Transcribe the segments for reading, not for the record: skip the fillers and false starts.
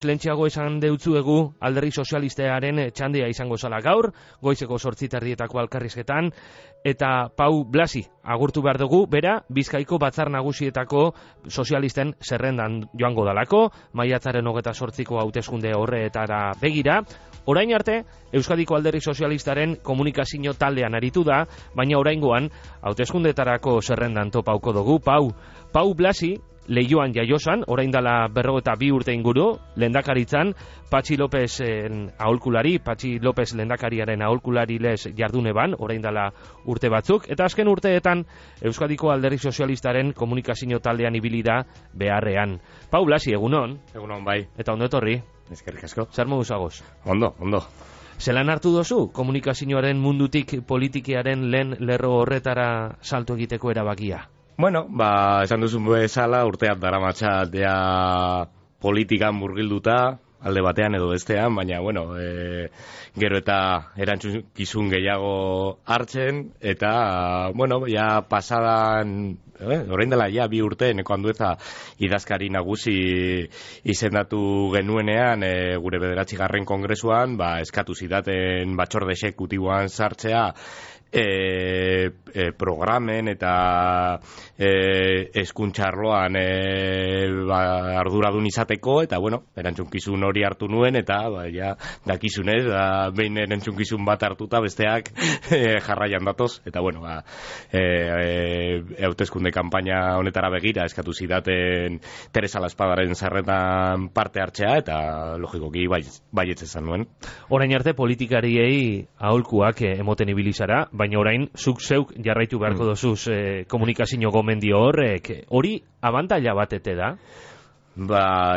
Lentxeago esan deutzuegu Alderdi Sozialistearen txandea izango zala gaur, goizeko 8:30 elkarrizketan, eta Pau Blasi agurtu behar dugu, bera Bizkaiko Batzar Nagusietako sozialisten zerrendan joango dalako, maiatzaren 28ko hauteskunde horretara begira. Orain arte, Euskadiko Alderdi Sozialistaren komunikazio taldean aritu da, baina oraingoan hauteskundetarako zerrendan topauko dugu. Pau Blasi Leioan jaiosan, orain dela 42 urte inguru, lehendakaritzan, Patxi Lópezen aholkulari, Patxi López lehendakariaren aholkulari lez jardune ban, orain dela urte batzuk, eta azken urteetan Euskadiko Alderdi Sozialistaren komunikazio taldean ibili da beharrean. Pau Blasi, egunon? Egunon, bai. Eta ondo etorri? Eskerrik asko. Zer moduz agoz? Ondo. Zelan hartu dozu komunikazioaren mundutik politikearen lehen lerro horretara salto egiteko erabakia? Bueno, esan duzun bezala urteak daramatza politikan murgilduta, alde batean edo bestean, baina, gero eta erantzukizun gehiago hartzen, eta, ja pasadan, orain dela ja 2 urte, neko Andueza idazkari nagusi izendatu genuenean, gure 9. kongresuan, eskatu zidaten batzorde exekutiboan sartzea, programen eta hezkuntza arloan arduradun izateko, eta erantzunkizun hori hartu nuen, eta dakizunez, behin erantzunkizun bat hartuta besteak jarraian datoz, eta hauteskunde kanpaina honetara begira eskatu zidaten Teresa Laspadaren zerrendan parte hartzea, eta logikoki baietz esan nuen. Orain arte politikariei aholkuak emoten ibili zara, baina orain zuk zeuk jarraitu beharko dozuz komunikazio gomendio horrek. Hori abantaila batete da?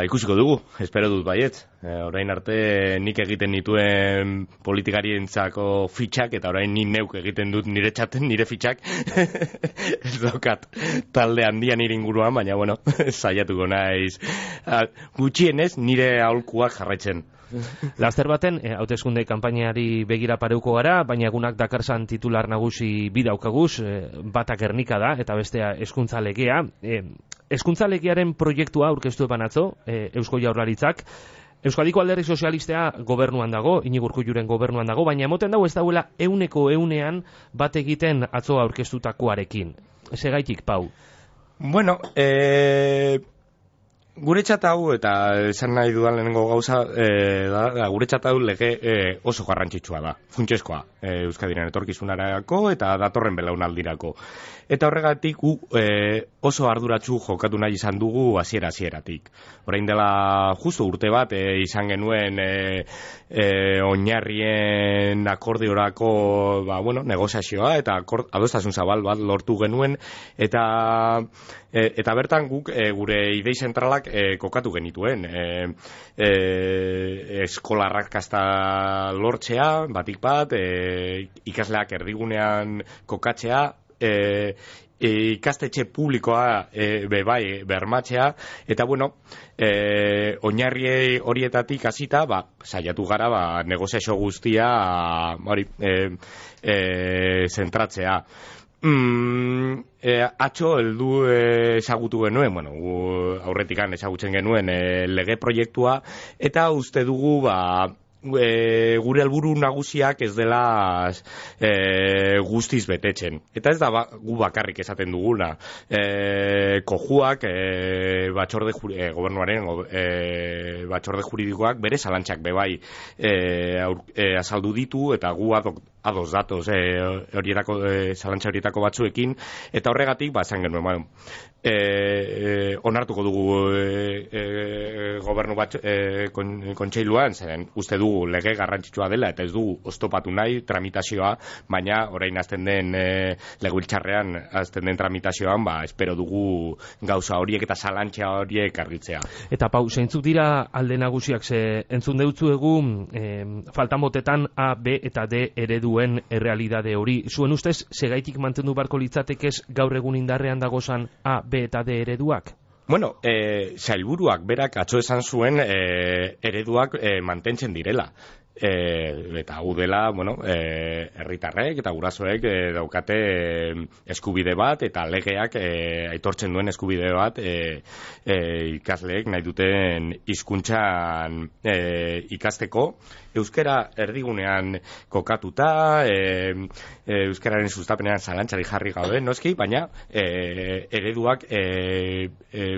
Ikusiko dugu, espero dut baietz. Orain arte nik egiten nituen politikarientzako fitxak, eta orain ni neuk egiten dut nire txaten, nire fitxak. Ez daukat talde handian nire inguruan, baina saiatuko naiz gutxienez nire aholkuak jarraitzen. Laster baten, hauteskunde kanpainari begira pareuko gara, baina egunak dakarsan titular nagusi bi daukaguz, bata Gernika da, eta bestea hezkuntza legea. Hezkuntza legearen proiektua aurkeztu banatzo, Eusko Jaurlaritzak, Euskadiko Alderdi Sozialistea gobernuan dago, Iñigo Urkulluren gobernuan dago, baina emoten dago ez dauela 100% bat egiten atzo aurkeztutakoarekin. Segaitik, Pau? Guretzat hau, eta esan nahi dudan lehenengo gauza, guretzat hau lege oso garrantzitsua da, funtsezkoa, Euskadiren etorkizunarako eta datorren belaunaldirako. Eta horregatik oso arduratsu jokatu nahi izan dugu hasieratik. Orain dela justu urte bat izan genuen oinarrien akordiorako negoziazioa eta adostasun zabal bat lortu genuen, eta bertan guk gure idei zentralak kokatu genituen. Eskola arrakasta lortzea, batik bat, ikasleak erdigunean kokatzea, ikastetxe publikoa bermatzea, eta oinarri horietatik hasita saiatu gara negoziazio guztia zentratzea. Atzo heldu ezagutu genuen, aurretikan ezagutzen genuen lege proiektua, eta uste dugu gure helburu nagusiak ez dela guztiz betetzen. Eta ez da gu bakarrik esaten duguna. Kojuak, gobernuaren batzorde juridikoak bere zalantzak bebai azaldu ditu, eta gu ados datoz zalantza horietako batzuekin, eta horregatik esan genuen onartuko dugu gobernu kontseiluan, zeren uste dugu lege garrantzitsua dela, eta ez dugu oztopatu nahi tramitazioa, baina orain hasten den legebiltzarrean hasten den tramitazioan, espero dugu gauza horiek eta zalantza horiek argitzea. Eta Pau, zeintzuk dira alde nagusiak, ze entzun deutzuegu faltan botetan A, B eta D ereduen errealidade hori. Zuen ustez, segaitik mantendu barko litzatekez gaur egun indarrean dagozan A, B eta D ereduak? Sailburuak berak atzo esan zuen ereduak mantentzen direla. eta hau dela, bueno, herritarrek eta gurasoek daukate eskubide bat eta legeak aitortzen duen eskubide bat ikasleek nahi duten hizkuntzan ikasteko, euskara erdigunean kokatuta, euskararen sustapenean zalantzari jarri gabe, noski, baina ereduak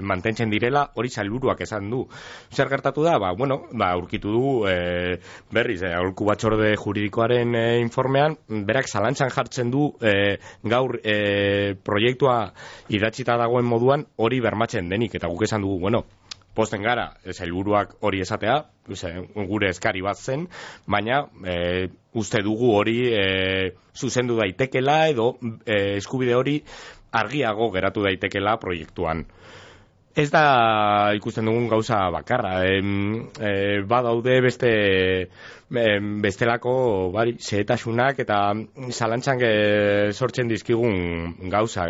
mantentzen direla, hori sailburuak esan du. Zer gertatu da? Aurkitu du berriz, aholku batzorde juridikoaren informean, berak zalantzan jartzen du gaur proiektua idatzita dagoen moduan hori bermatzen denik, eta guk esan dugu, posten gara, sailburuak hori esatea, gure eskari bat zen, baina uste dugu hori zuzendu daitekela edo eskubide hori argiago geratu daitekela proiektuan. Ez da ikusten dugun gauza bakarra, badaude bestelako xehetasunak eta zalantzan sortzen dizkigun gauza.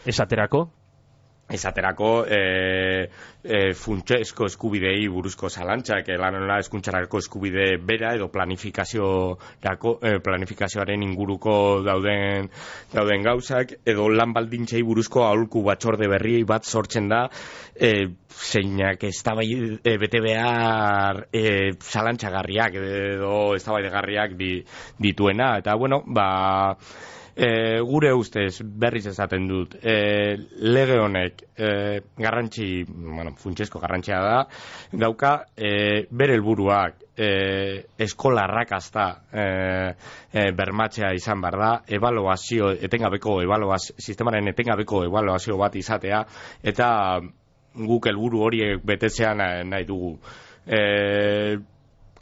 Esaterako funtsezko eskubidei buruzko zalantzak, lanola hezkuntzarako eskubide bera edo planifikazioaren inguruko dauden gauzak, edo lan baldintzei buruzko aholku batzorde berri bat sortzen da, zeinak bete behar zalantzagarriak edo eztabaidagarriak dituena, eta gure ustez berriz esaten dut, lege honek funtsezko garrantzia dauka, bere helburuak eskola arrakasta bermatzea izan behar da, sistemaren etengabeko ebaluazio bat izatea, eta guk helburu horiek betetzea nahi dugu.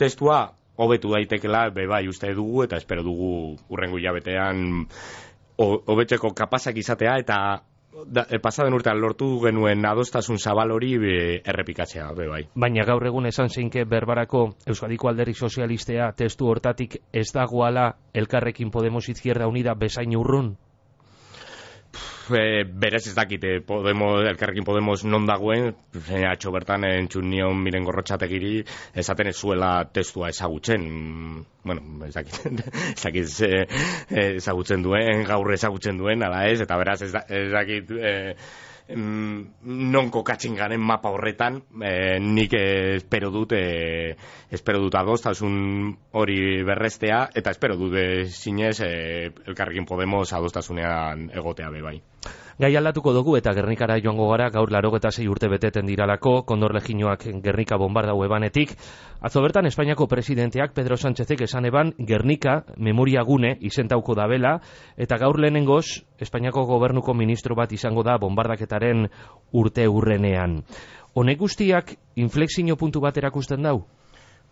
Testua hobetu daitekela bai uste dugu, eta espero dugu hurrengo hilabetean hobetzeko kapazak izatea, eta pasaden urtean lortu genuen adostasun zabal hori errepikatzea bai. Baina gaur egun esan zeinke berbarako Euskadiko Alderdi Sozialistea testu hortatik ez dagoala Elkarrekin Podemos Izquierda Unida bezain urrun? Berez ez dakite Elkarrekin Podemos non dagoen, atxo bertan entzun nion Miren Gorrotxategiri esaten ez zuela testua ezagutzen. Ez dakit ezagutzen duen, gaur ezagutzen duen, ala ez, eta beraz ez dakit non kokatzen garen mapa horretan, nik espero dut adostasun hori berrestea, eta espero dut zinez Elkarrekin Podemos adostasunean egotea bai. Gai aldatuko dugu eta Gernikara joango gara, gaur 86 urte beteten diralako, Kondor Legioak Gernika bombardau ebanetik. Atzo bertan Espainiako presidenteak Pedro Sánchezek esan eban Gernika memoria gune izentauko dabela, eta gaur lehenengoz Espainiako gobernuko ministro bat izango da bombardaketaren urte urrenean. Honek guztiak inflexio puntu bat erakusten dau?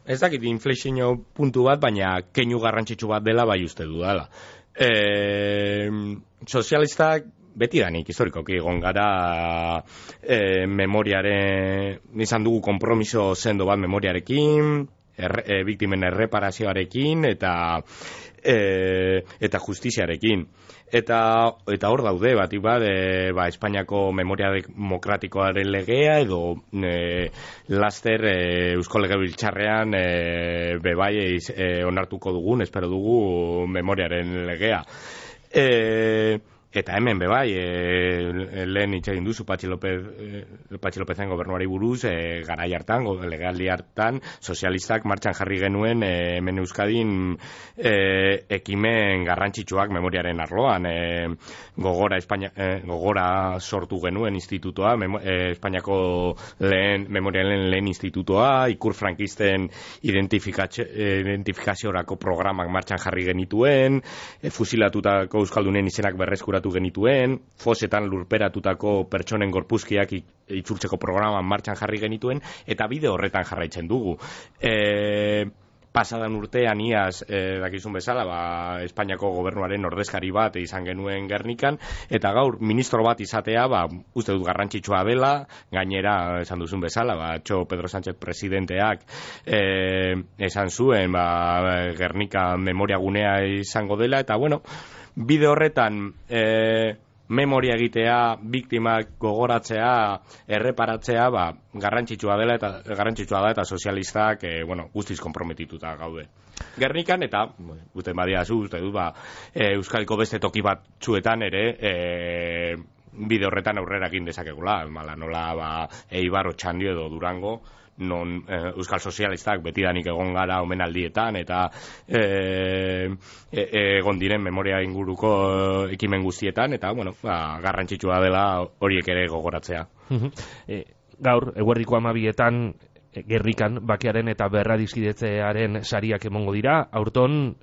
Ez dakit inflexio puntu bat, baina keinu garrantzitsu bat dela bai uste dudala. Sozialistak betidanik historikoki egon gara memoriaren, izan dugu konpromiso sendo bat memoriarekin, biktimen erreparazioarekin eta justiziarekin. Eta hor daude, batik bat, Espainiako memoria demokratikoaren legea edo laster Eusko Legebiltzarrean bebai onartuko dugun, espero dugu memoriaren legea. Eta hemen bebai, lehen hitz egin duzu Patxi Lopezen gobernuari buruz, garai hartan, legealdi hartan, sozialistak martxan jarri genuen hemen Euskadin ekimen garrantzitsuak memoriaren arloan. Gogora sortu genuen institutoa, Espainiako memorialen lehen institutoa, ikur frankisten identifikaziorako programak martxan jarri genituen, fusilatutako euskaldunen izenak berreskuratu genituen, fosetan lurperatutako pertsonen gorpuzkiak itzultzeko programan martxan jarri genituen, eta bide horretan jarraitzen dugu. Pasadan urtean iaz, dakizun bezala, Espainiako gobernuaren ordezkari bat izan genuen Gernikan, eta gaur ministro bat izatea, uste dut garrantzitsua dela, gainera, esan duzun bezala, atxo Pedro Sánchez presidenteak esan zuen, Gernika memoria gunea izango dela, eta bide horretan memoria egitea, biktimak gogoratzea, erreparatzea, garrantzitsua da eta sozialistak, guztiz konprometituta gaude. Gernikan eta, guten badiazu, uste du, Euskadiko beste toki batzuetan ere, bide horretan aurrera egin dezakegula, nola Eibar, Otxandio edo Durango, non euskal sozialistak betidanik egon gara omenaldietan eta egon diren memoria inguruko ekimen guztietan eta garrantzitsua dela horiek ere gogoratzea. Gaur, eguerdiko 12etan Gernikan bakearen eta berradizkidetzearen sariak emongo dira, aurton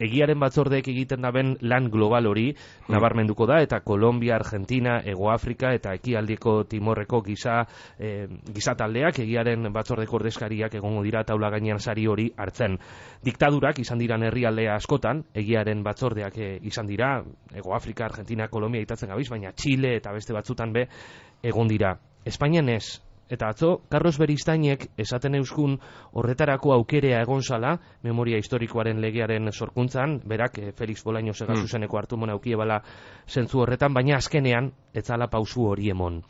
egiaren batzordeek egiten daben lan global hori nabarmenduko da eta Kolombia, Argentina, Hego Afrika eta Ekialdeko Timorreko giza taldeak egiaren batzordeko ordezkariak egongo dira taula gainean sari hori hartzen. Diktadurak izan diran herrialde askotan, egiaren batzordeak izan dira, Hego Afrika, Argentina, Kolombia itatzen gabiz, baina Txile eta beste batzutan be egon dira. Espainian ez. Eta atzo, Carlos Beristainek esaten euskun horretarako aukerea egon zala, memoria historikoaren legearen sorkuntzan, berak Felix Bolaño Segazuzeneko hartu mona aukiebala zentzu horretan, baina azkenean, etzala pausu hori emon.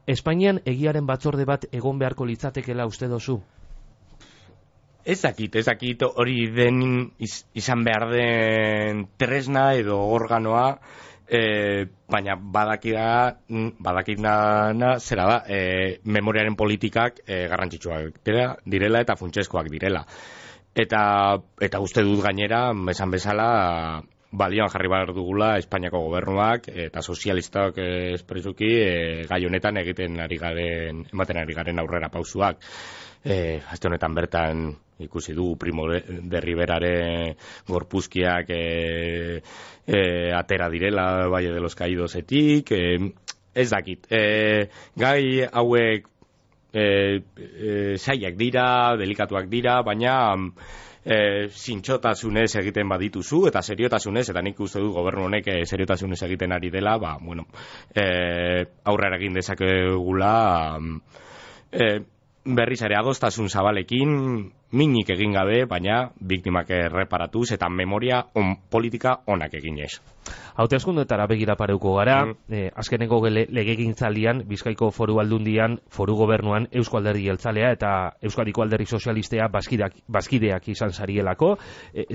Espainian egiaren batzorde bat egon beharko litzatekela uste dozu? Ez dakit hori den izan behar den tresna edo organoa, baina badakidana zera da, memoriaren politikak garrantzitsuak direla eta funtseskoak direla. Eta uste dut gainera, esan bezala, balioan jarri behar dugula Espainiako gobernuak eta sozialistak espresuki gai honetan ematen ari garen aurrera pausuak. Aste honetan bertan ikusi dugu Primo de Riveraren gorpuzkiak atera direla Valle de los Caidosetik, ez dakit. Gai hauek zailak dira, delikatuak dira, baina zintxotasunez egiten badituzu eta seriotasunez, eta nik uste du gobernu honek seriotasunez egiten ari dela, aurrera egin dezakegula berriz ere adostasun zabalekin, minik egin gabe, baina biktimak erreparatuz eta memoria politika onak eginez. Hauteskundeetara begira pareuko gara, azkeneko legegintzaldian, Bizkaiko Foru Aldundian, Foru Gobernuan, Eusko Alderdi Jeltzalea eta Euskadiko Alderdi Sozialistea bazkideak izan zarielako.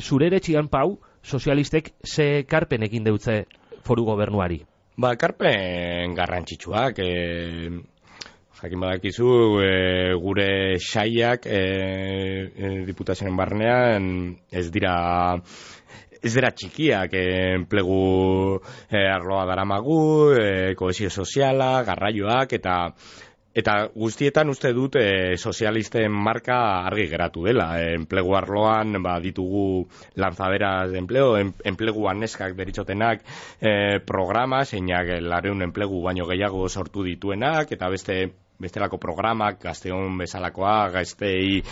Zure eretxian, Pau, sozialistek ze karpen egin deutze Foru Gobernuari? Karpen garrantzitsuak, jakin badakizu, gure saiak diputazioen barnean ez dira txikiak, enplegu arloa daramagu, kohesio soziala, garraioak eta guztietan uste dut sozialisten marka argi geratu dela. Enplegu arloan ditugu lanzaderas de empleo, enpleguan neskak deritzotenak programa, zeinak 200 enplegu baino gehiago sortu dituenak, eta bestelako programak, gazteon bezalakoa, gaztei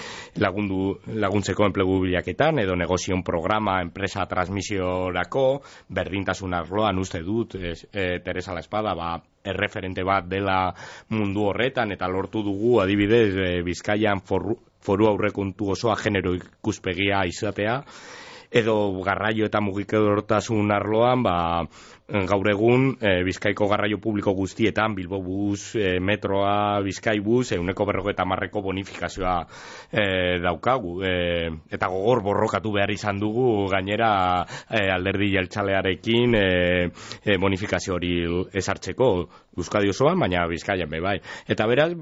laguntzeko enplegu bilaketan, edo negozion programa, enpresa transmisiorako, berdintasun arloan uste dut, Teresa La Espada, erreferente bat dela mundu horretan, eta lortu dugu, adibidez, Bizkaian foru aurrekontu osoa genero ikuspegia izatea, edo garraio eta mugikortasun arloan, gaur egun Bizkaiko garraio publiko guztietan, Bilbobus, metroa, Bizkaibus, 150% bonifikazioa daukagu. Eta gogor borrokatu behar izan dugu, gainera Alderdi Jeltzalearekin bonifikazio hori ezartzeko Euskadi osoan, baina Bizkaian bai. Eta beraz,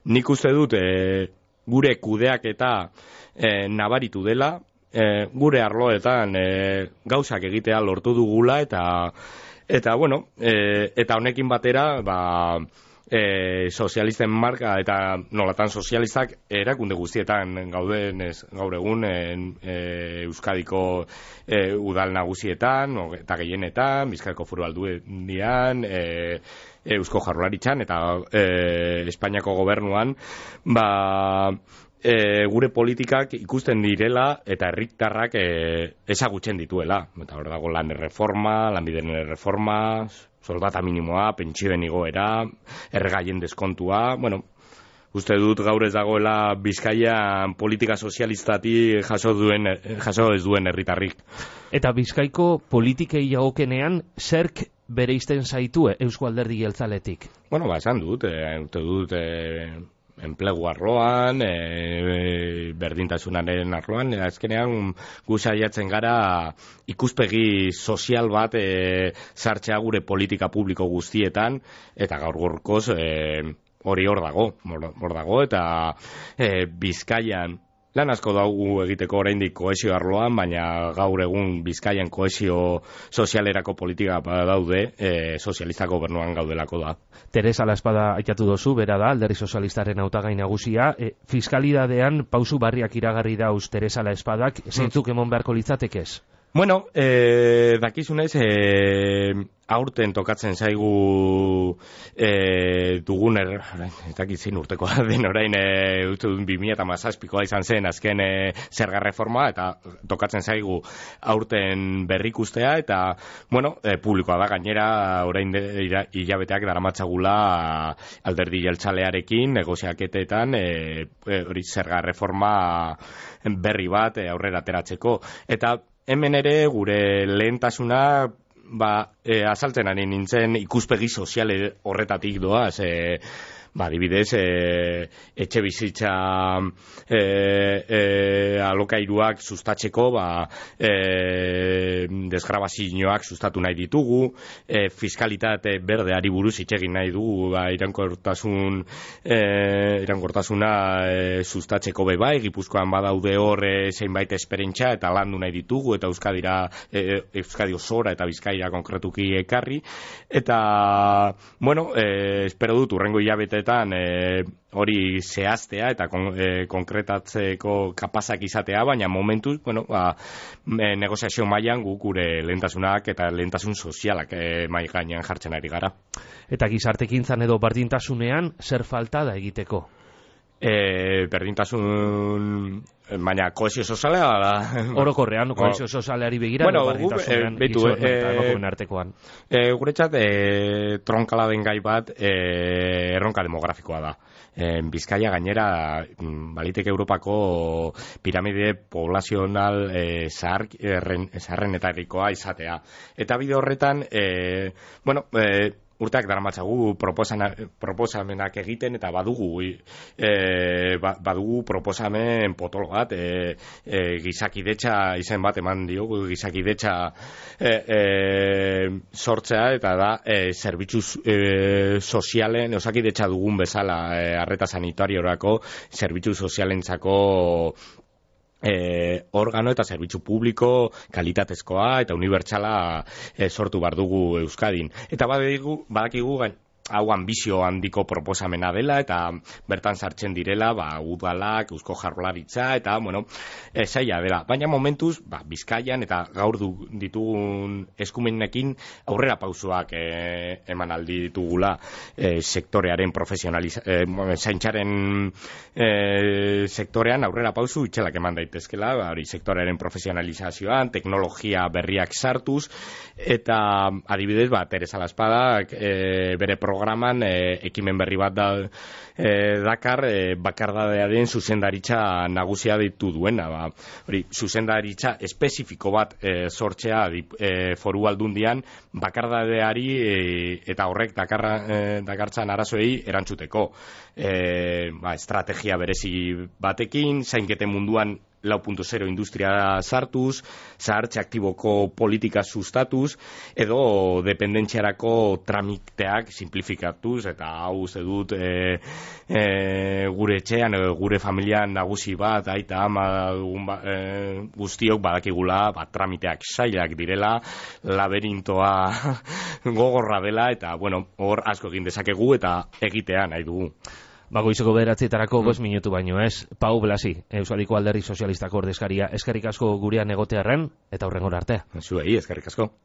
nik uste dut gure kudeak eta nabaritu dela, gure arloetan gauzak egitea lortu dugula eta honekin batera sozialisten marka eta nolatan sozialistak erakunde guztietan gaur egun Euskadiko udal nagusietan eta gehienetan, Bizkaiko Foru Aldundian, Eusko Jaurlaritzan eta Espainiako gobernuan gure politikak ikusten direla eta herritarrak ezagutzen dituela. Eta hor dago lan erreforma, lanbideen erreforma, soldata minimoa, pentsioen igoera, erregaien deskontua. Uste dut gaur ez dagoela Bizkaian politika sozialistati jaso ez duen herritarrik. Eta Bizkaiko politikei jagokenean, zerk bereizten zaitu Eusko Alderdi Jeltzaletik? Bueno, esan dut, uste dut enplegu arloan, berdintasunaren arloan, azkenean gu saiatzen gara ikuspegi sozial bat sartzea gure politika publiko guztietan, eta gaur-gaurkoz hori hor dago, eta Bizkaian lan asko daugu egiteko oraindik kohesio arloan, baina gaur egun Bizkaian kohesio sozialerako politika daude, sozialista gobernuan gaudelako da. Teresa Laespada aitatu dozu, bera da, Alderdi Sozialistaren hautagai nagusia. Fiskalidadean pausu barriak iragarri dauz Teresa Laespadak, zeintzuk emon beharko litzatekez? Bueno, dakizunez, aurten tokatzen zaigu dugun ez dakit zein urtekoa den orain, uste dut 2017koa izan zen azken zerga reforma, eta tokatzen zaigu aurten berrikustea, eta bueno, publikoa da gainera orain hilabeteak daramatzagula Alderdi Jeltzalearekin negoziaketetan hori zerga reforma berri bat aurrera ateratzeko, eta hemen ere gure lehentasuna azaltzen ari nintzen ikuspegi soziale horretatik doaz, adibidez, etxe bizitza alokairuak sustatzeko desgrabazioak sustatu nahi ditugu, fiskalitate berdeari buruz hitz egin nahi dugu, iraunkortasuna sustatzeko bai, Gipuzkoan badaude hor zeinbait esperientzia eta landu nahi ditugu, eta Euskadi osora eta Bizkaia konkretuki ekarri, eta bueno, espero dut urrengo hilabeteetan hori zehaztea eta konkretatzeko kapazak izatea, baina momentuz, negoziazio mailan gure lehentasunak eta lehentasun sozialak mahai gainean jartzen ari gara. Eta gizartekintzan edo berdintasunean zer falta da egiteko? Berdintasun, baina kohesio soziala orokorrean, kohesio sozialari begira, berdintasunean gizon eta emakumeen artekoan. Guretzat tronkala den gai bat erronka demografikoa da. Bizkaia gainera baliteke Europako piramide poblazional zaharrenetarikoa izatea. Eta bide horretan, urteak daramatzagu proposamenak egiten, eta badugu proposamen potolo bat, gizakidetza izen bat eman diogu, gizakidetza sortzea, eta da zerbitzu sozialen, osakidetza dugun bezala, arreta sanitariorako, zerbitzu sozialentzako organo eta zerbitzu publiko kalitatezkoa eta unibertsala sortu behar dugu Euskadin. Eta badakigu hau ambizio handiko proposamena dela, eta bertan sartzen direla udalak, Eusko Jaurlaritza, eta zaila dela. Baina momentuz, Bizkaian eta gaur ditugun eskumenekin aurrera pausoak eman aldi ditugula sektorearen zaintzaren sektorean aurrera pausu itxelak eman daitezkela, hori sektorearen profesionalizazioan, teknologia berriak sartuz, eta adibidez, Teresa Laespadak bere programan ekimen berri bat dakar, bakardadearen zuzendaritza nagusia ditu duena. Hori, zuzendaritza espezifiko bat sortzea foru aldundian bakardadeari eta horrek dakartzan arazoei erantzuteko. Estrategia berezi batekin, zainketen munduan 4.0 industria sartuz, zahartze aktiboko politika sustatuz, edo dependentziarako tramiteak simplifikatuz, eta hau uste dut gure etxean, gure familian nagusi bat, aita ama guztiok badakigula, tramiteak sailak direla, laberintoa gogorra dela, eta hor asko egin dezakegu eta egitea nahi dugu. Goizeko 9:00 5 minutu baino ez. Pau Blasi, Euskadiko Alderdi Sozialistako ordezkaria, eskerrik asko gurean egotearren, eta hurrengora arte. Zuei, eskerrik asko.